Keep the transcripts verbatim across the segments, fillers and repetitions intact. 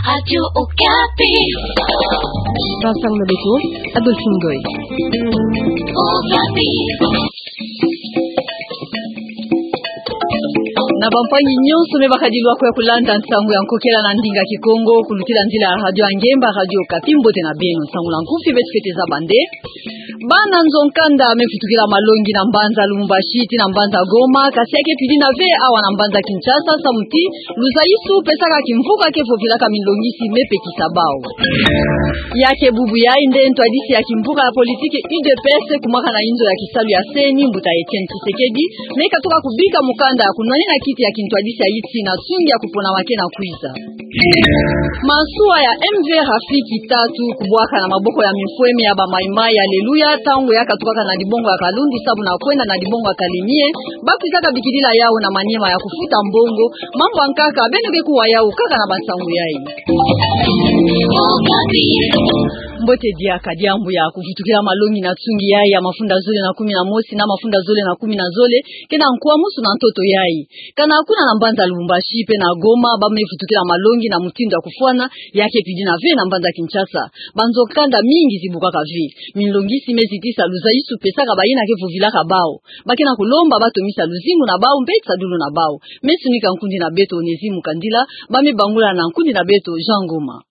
Radio Okapi. Vincent Mobeto, Adolphine Goy. Okapi. Na bampangi nyonso me bakadilu ako ya kulanda nsangu ya nkokela na ndinga Kikongo, kulutila nzila ya radio ya ngemba, Radio Okapi, mbote na beno. Nsangu na nkufi beto fwete zaba nde bana nzo-nkanda me futukila malongi na mbanza Lubumbashi ti na mbanza Goma, kasi ya ke pidi na ve awa na mbanza Kinshasa, samu ti luzaisu pesaka kimvuka ke vovilaka minlongisi me pekisa bau. Ya ke bubu yai nde ntwadisi ya kimvuka ya politiki U D P S, kumwaka na inzo ya kisalu ya C E N I, mbuta Etienne Tshisekedi, me katuka kubika mukanda ya kunwanina kiti ya kintwadisi ya yiti na nsungi ya kupona wake na kwiza. Masuwa ya M V Rafiki tatu kubwaka na maboko ya mifweme ya ba Mai-Mai ya Aleluya, ntangu ya katukaka na dibongo ya Kalundu samu na kwenda na dibongo ya Kalemie, bakwizaka bikidila yau na Maniema ya kufuta mbongo. Mambu ya nkaka beno ke kuwa yau kaka na bansangu yai. Mbote diaka, diambu ya kuvutukila malongi na nsungi yai ya mafunda zole na kumi na mosi na mafunda zole na kumi na zole, ke na nkwamsu na ntoto yai. Kana kuna na mbanza Lubumbashi pe na Goma, ba me vutukila malongi na mutindu ya kufwana, ya ke pidi na ve na mbanza Kinshasa. Banzo-nkanda mingi zibukaka ve. Minlongisi me zitisa luzaisu pesaka bayina ke vovilaka bau. Ba ke na kulomba batomisa luzingu na bau mpe tisadulu na bau. Me sunika nkundi na beto Onésime Mukandila, ba me bangula na nkundi na beto Jean Ngoma.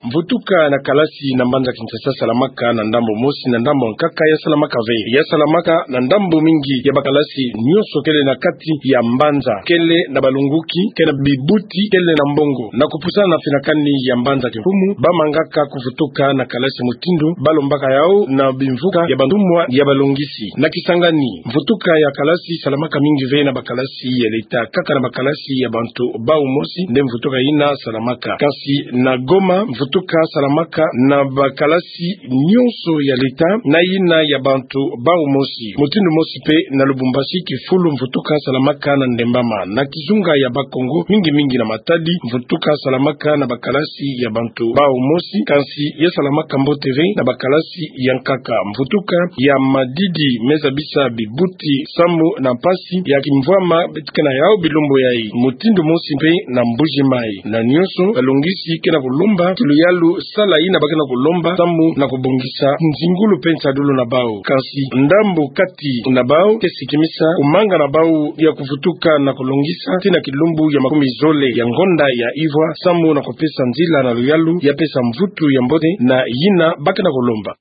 Mvutuka na kalasi na mbanza Kinshasa salamaka na ndambu mosi, na ndambu ya nkaka ya salamaka ve. Ya salamaka na ndambu mingi ya bakalasi nyonso kele na kati ya mbanza, kele na balongoki, kele na bibuti, kele na mbongo. Na kupusana na finakani ya mbanza kimfumu, ba mangaka kuvutuka na kalasi mutindu ba lombaka yau na bimvuka ya bantumwa ya balongisi. Na Kisangani, mvutuka ya kalasi salamaka mingi ve na bakalasi ya leta, kaka na bakalasi ya bantu bau mosi nde mvutuka yina salamaka. Kasi na Goma, mvutuka salamaka na bakalasi nyonso ya leta na yina ya bantu bau mosi. Mutindu mosi pe na Lubumbashi, kifulu mvutuka salamaka na ndembama. Na kizunga ya Bakongo, mingi mingi na Matadi, mvutuka salamaka na bakalasi ya bantu bau mosi, kasi ya salamaka mbote ve na bakalasi ya nkaka. Mvutuka ya Madidi me zabisa bibuti samu na mpasi ya kimvwama beto ke na yau bilumbu yai. Mutindu mosi mpe na Mbuji-Mayi. Na nyonso balongisi ke na kulomba ti luyalu sala yina ba ke na kulomba samu na kubongisa nzingulu mpe nsadulu na bau. Kasi ndambu kati na bau ke sikimisa kumanga na bau ya kuvutuka na kulongisa ti na kilumbu ya makumi zole ya ngonda ya ivwa samu na kupesa nzila na luyalu ya pesa mvutu ya mbote na yina ba ke na kulomba.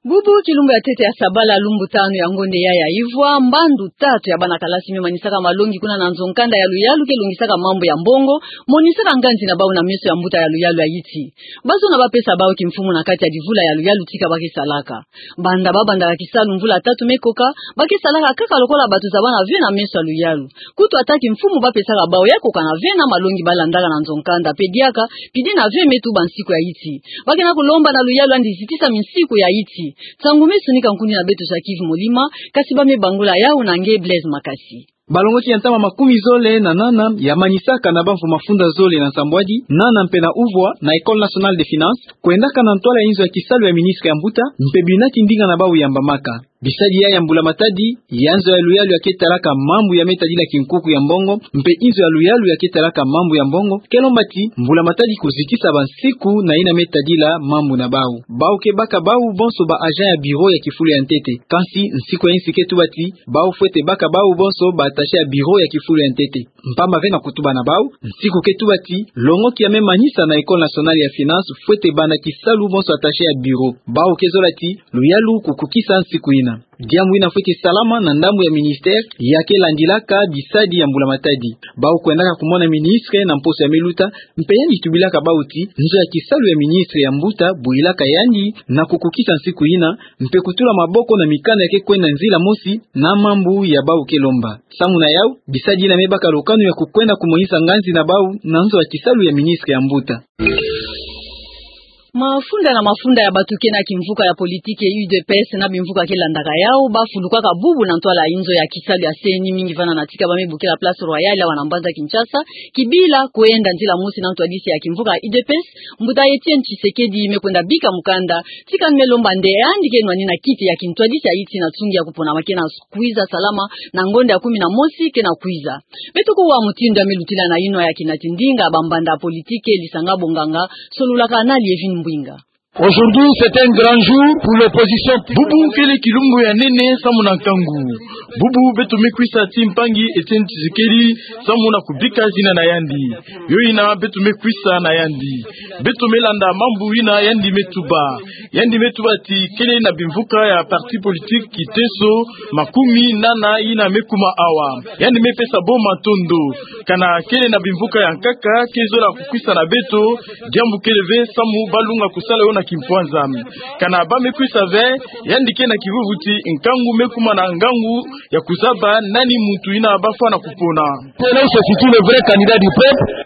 Bubu kilumbu ya ntete ya sabala, lumbu tanu ya ngonda ya ivwa, mbandu tatu ya bana kalasi me manisaka malongi kuna na nzo-nkanda ya luyalu ke longisaka mambu ya mbongo, monisaka nganzi na bau na meso ya mbuta ya luyalu ya yiti. Ba zona ba pesa bau kimfumu na kati ya divula ya luyalu tika ba ke salaka. Banda ba bandaka kisalu mvula tatu me koka, ba ke salaka kaka lokola bato zabana ve na meso ya luyalu. Kutu ata kimfumu ba pesaka bau ya koka na ve na malongi ba landaka na nzo-nkanda, mpe diaka pidi na ve me tuba nsiku ya yiti. Ba ke na kulomba na luyalu yandi zitisa minsiku ya yiti. Nsangu me sunika nkundi na beto Jacques Molima, kasi ba me bangula yau na nge Blaise Makasi. Balongoki ya ntama makumi zole na nana ya manisaka na bamvu mafunda zole na nsambwadi, nana mpe na uvwa, na École Nationale des Finances, kwendaka na ntwala ya inzo ya kisalu ya ministre ya mbuta, mpe binati ndinga na bau yambamaka. Bisadi ya, ya mbula-matadi ya nzo ya luyalu ya ke talaka mambu ya me tadila kinkuku ya mbongo, mpe inzo ya luyalu ya ke talaka mambu ya mbongo, ke lomba ti mbula-matadi kuzitisa bansiku na yina me tadila mambu na bau. Bau ke baka bau bonso ba agent ya bureau ya kifulu ya ntete. Kansi nsiku ya insi ke tuba ti bau fwete baka bau bonso ba attaché ya bureau ya kifulu ya ntete. Mpamba ve na kutuba na bau, nsiku ke tuba ti longoki ya me manisa na École Nationale ya Finances fwete banda kisalu bonso attaché ya bureau. Bau ke zola ti luyalu kukukisa nsiku yina. Diambu yina fwete salama na ndambu ya ministère ya ke landilaka bisadi ya mbula-matadi. Bau kwendaka kumona ministre na mposo ya me luta, mpe yandi tubilaka bau ti nzo ya kisalu ya ministre ya mbuta buyilaka yandi na kukukisa nsiku yina, mpe kutula maboko na mikanda ya ke kwenda nzila mosi na mambu ya bau ke lomba. Samu na yau, bisadi yina me baka lukanu ya kukwenda kumonisa nganzi na bau na nzo ya kisalu ya ministre ya mbuta. Mafunda na mafunda ya bato ke na kimvuka ya politike U D P S na bimvuka ke landaka yau, bafulukaka bubu na ntwala ya inzo ya kisalu ya C E N I, mingi vana na tika ba me bokila Place Royale awa na mbanza Kinshasa, kibila kwenda nzila mosi na ntwadisi ya kimvuka ya U D P S, mbuta Etienne Tshisekedi me kwenda bika mukanda. Tika ni me lomba nde yandi ke nwanina kiti ya kintwadisi ya iti na tsungi ya kupona ma ke na kwiza salama na ngonda ya kumi na mosi ke na kwiza. Beto kuwa mutindu ya me lutila na inwa ya kina tindinga ba mbanda politike, lisanga bonganga, sololaka na Lievine Mbwinga. Aujourd'hui, c'est un grand jour pour l'opposition. Bubu kele kilumbu ya nene samu na nkangu. Bubu beto me kwisa ti mpangi Etienne Tshisekedi samu na kubika zina na yandi. Yo yina beto me kwisa na yandi. Beto me landa mambu yina yandi me tuba. Yandi me tuba ti kele na bimvuka ya parti politique kiteso makumi nana yina me kuma awa. Yandi me pesa bo matondo. Kana kele na bimvuka ya nkaka ke zola kukwisa na beto, diambu kele ve samu ba lunga kusala yo na kimpwanza. Kana ba me kwisa ve, yandi ke na kivuvu ti nkangu me kuma na ngangu ya kuzaba nani muntu yina ba fwana kupona. C'est là où se situe le vrai candidat du peuple.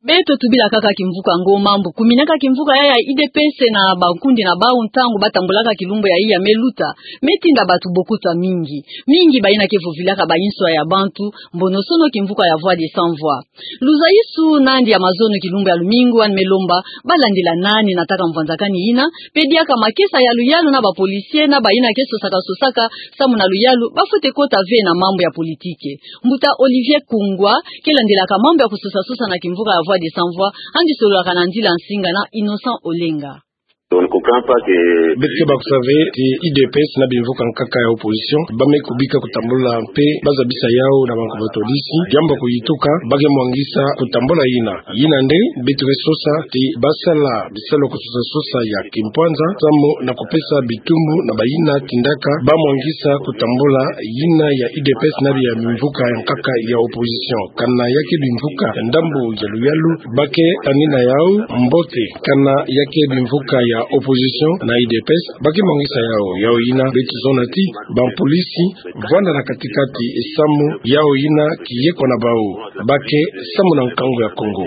Beto tubila kaka kimvuka ngo mambu. Kuminaka kimvuka ya ya U D P S na bankundi na bau ntangu ba tambulaka kilumbu ya iya me luta, me tinda bato bokuta mingi. Mingi bayina ke vovilaka ba inswa ya bantu, mbonosono kimvuka ya Voix des Sans Voix. Luzaisu nandi ya mazono kilumbu ya lumingu, yandi me lomba ba landila nani na taka mvwanzakani yina, pe diaka makesa ya luyalu na ba policiers na bayina ke sosaka sosaka samu na luyalu, ba fwete kota ve na mambu ya politike. Mbuta Olivier Kungwa ke landilaka mambu ya kusosa sosa na kimvuka ya Voix des Sans Voix, yandi sololaka na nzila nsinga na Innocent Olenga. On ne comprend pas que... Beto ke baka kusa ve ti U D P S na bimvuka nkaka ya opposition ba me kubika kutambula mpe ba zabisa yau na bantu batwadisi, diambu ya kuyituka ba ke mwangisa kutambula yina. Yina nde beto ke sosa ti ba sala bisalu ya kusosa sosa ya kimpwanza samu na kupesa bitumbu na bayina tindaka ba mwangisa kutambula yina ya U D P S na bimvuka ya nkaka ya opposition. Kana ya ke bimvuka ya ndambu ya luyalu, ba ke tanina yau mbote. Kana ya ke bimvuka ya opposition na U D P S, ba ke mwangisa yau. Yau yina beto zona ti ba polisi vwanda na kati-kati samu yau yina kiye kwa na bau, ba ke samu na nkangu ya Kongo.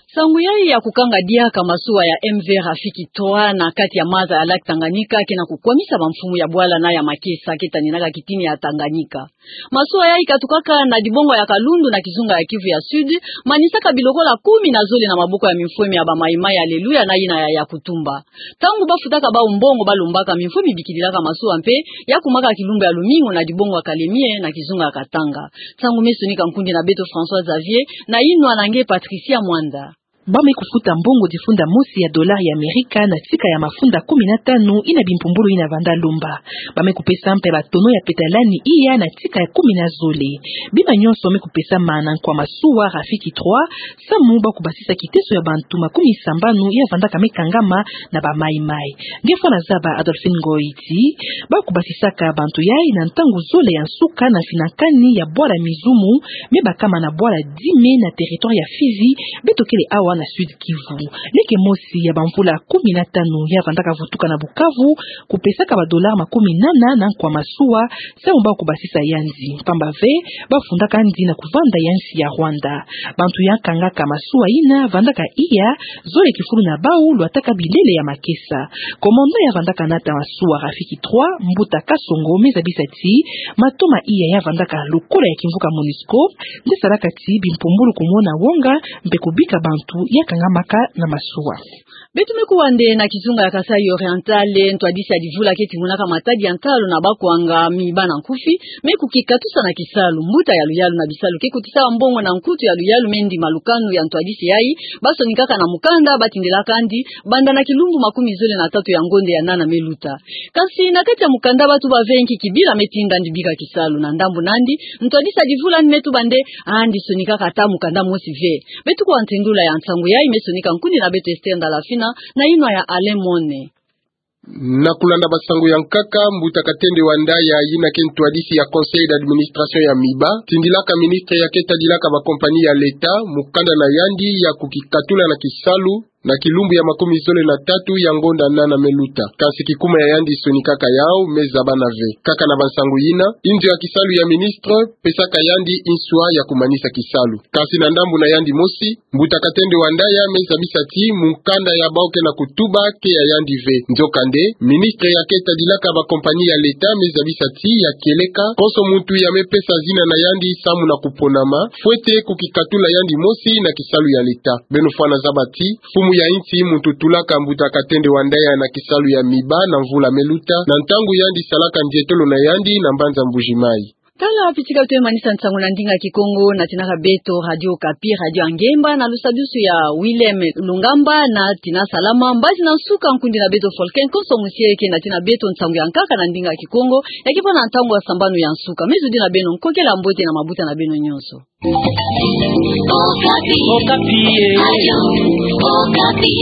Nsangu yayi ya kukanga diaka masuwa ya M V Rafiki trois na kati ya maza ya lac Tanganyika ke na kukwamisa bamfumu ya bwala na ya makesa ke taninaka kitini ya Tanganyika. Masuwa yayi katukaka na dibongo ya Kalundu na kizunga ya Kivu ya Sud, manisaka bilokola kumi na zole na maboko ya mimfwemi ya ba Maï-Maï ya Aleluya na yina ya Yakutumba. Ntangu ba futaka bau mbongo, ba lombaka, mimfwemi bikililaka masuwa mpe ya kumaka kilumbu ya lumingu na dibongo ya Kalemie na kizunga ya Katanga. Nsangu me sonika nkundi na beto François Xavier, na inwa na nge Patricia Mwanda. Ba me kufuta mbongo difunda mosi ya dollar ya Amerika na tika ya mafunda kumi na tanu yina bimpumbulu yina vanda lomba. Ba me kupesa mpe batono ya petalani iya na tika ya kumi na zole. Bima nyonso me kupesama na nkwa masuwa Rafiki trois, samu ba kubasisa kiteso ya bantu makumi sambanu ya vandaka me kangama na ba Maï-Maï. Nge fwana zaba Adolphine Ngoy ti ba kubasisaka bantu yayi na ntangu zole ya nsuka na mfinakani ya bwala Mizumu, me bakama na bwala Dime na territoire ya Fizi, beto kele awa na Sud Kivu. Leke mosi ya bamvula kumi na tanu ya vandaka vutuka na Bukavu, kupesaka ba dollar makumi nana na nkwa masuwa, samu ba kubasisa yandi. Mpamba ve, ba fundaka yandi na kuvanda ya nsi ya Rwanda. Bantu ya kangaka masuwa yina vandaka iya, zole kifulu na bau lwataka bilele ya makesa. Commandant ya vandaka nata masuwa Rafiki trois, Mbuta Kasongo, me zabisa ti matoma iya ya vandaka lokola ya kimvuka MONUSCO nde salaka ti bimpumbulu kumona wonga mpe kubika bantu ya kangamaka na masuwa. Beto me kuwa nde na kizunga ya Kasaï Oriental, ntwadisi ya divula ke timonaka matadi ya ntalu na bakwanga, Miba na Nkufi, me kukikatusa na kisalu. Mbuta ya luyalu na bisalu ke kotisa mbongo na nkutu ya luyalu me ndima lukanu ya ntwadisi yayi, ba sonikaka na mukanda ba tindilaka yandi, banda na kilumbu makumi zole na tatu ya ngonde ya nana me luta. Kasi na kati ya mukanda ba tuba ve nki kibila me tinda yandi bika kisalu. Na ndambu nandi, ntwadisi ya divula yandi me tuba nde yandi sonikaka ata mukanda mosi ve. Beto kuwa ntendula ya nsangu yayi me sonika nkundi na beto Esther Ndalafina, na inwa ya Alain Mone. Na kulanda bansangu ya nkaka, Mbuta Katende Wandaya, yina ke ntwadisi ya Conseil d'administration ya Miba, tindilaka ministre ya ke tadilaka ba compagnie ya l'État mukanda na yandi ya kukikatula na kisalu, na kilumbu ya makumi zole na tatu ya ngonda nana me luta. Kasi kikuma ya yandi sonikaka yawu me zabana ve. Kaka na bansangu yina, inzo ya kisalu ya ministre pesaka yandi nswa ya kumanisa kisalu. Kasi na ndambu na yandi mosi, Mbuta Katende wa Ndaya me zabisa ti mukanda ya bawu ke na kutuba ke ya yandi ve. Nzokande, ministre ya ke tadilaka ba compagnie ya l'État me zabisa ti ya kieleka konso muntu ya me pesa zina na yandi samu na kuponama, fwete kukikatula yandi mosi na kisalu ya l'État. Beno fwana zaba ti, mfumu ya insi muntu tulaka Mbuta Katende wa Ndaya na kisalu ya miba na mvula me luta, na ntangu yandi salaka ndietolo na yandi na mbanza Mbuji-Mayi. Tala, pitika twe manisa nsangu na ndinga Kikongo, natinaka beto Radio Okapi, radio ya ngemba, na lusadusu ya Willem Lungamba, na tina salama, mbazi na nsuka nkundi na beto Folken Konso Musieke, natina beto nsangu ya nkaka na ndinga Kikongo, ya ke bâ na ntangu ya sambanu ya nsuka. Mezudi na beno, nkokela mbote na mabuta na beno nyonso. Okapi. Okapi, eh. Radio Okapi.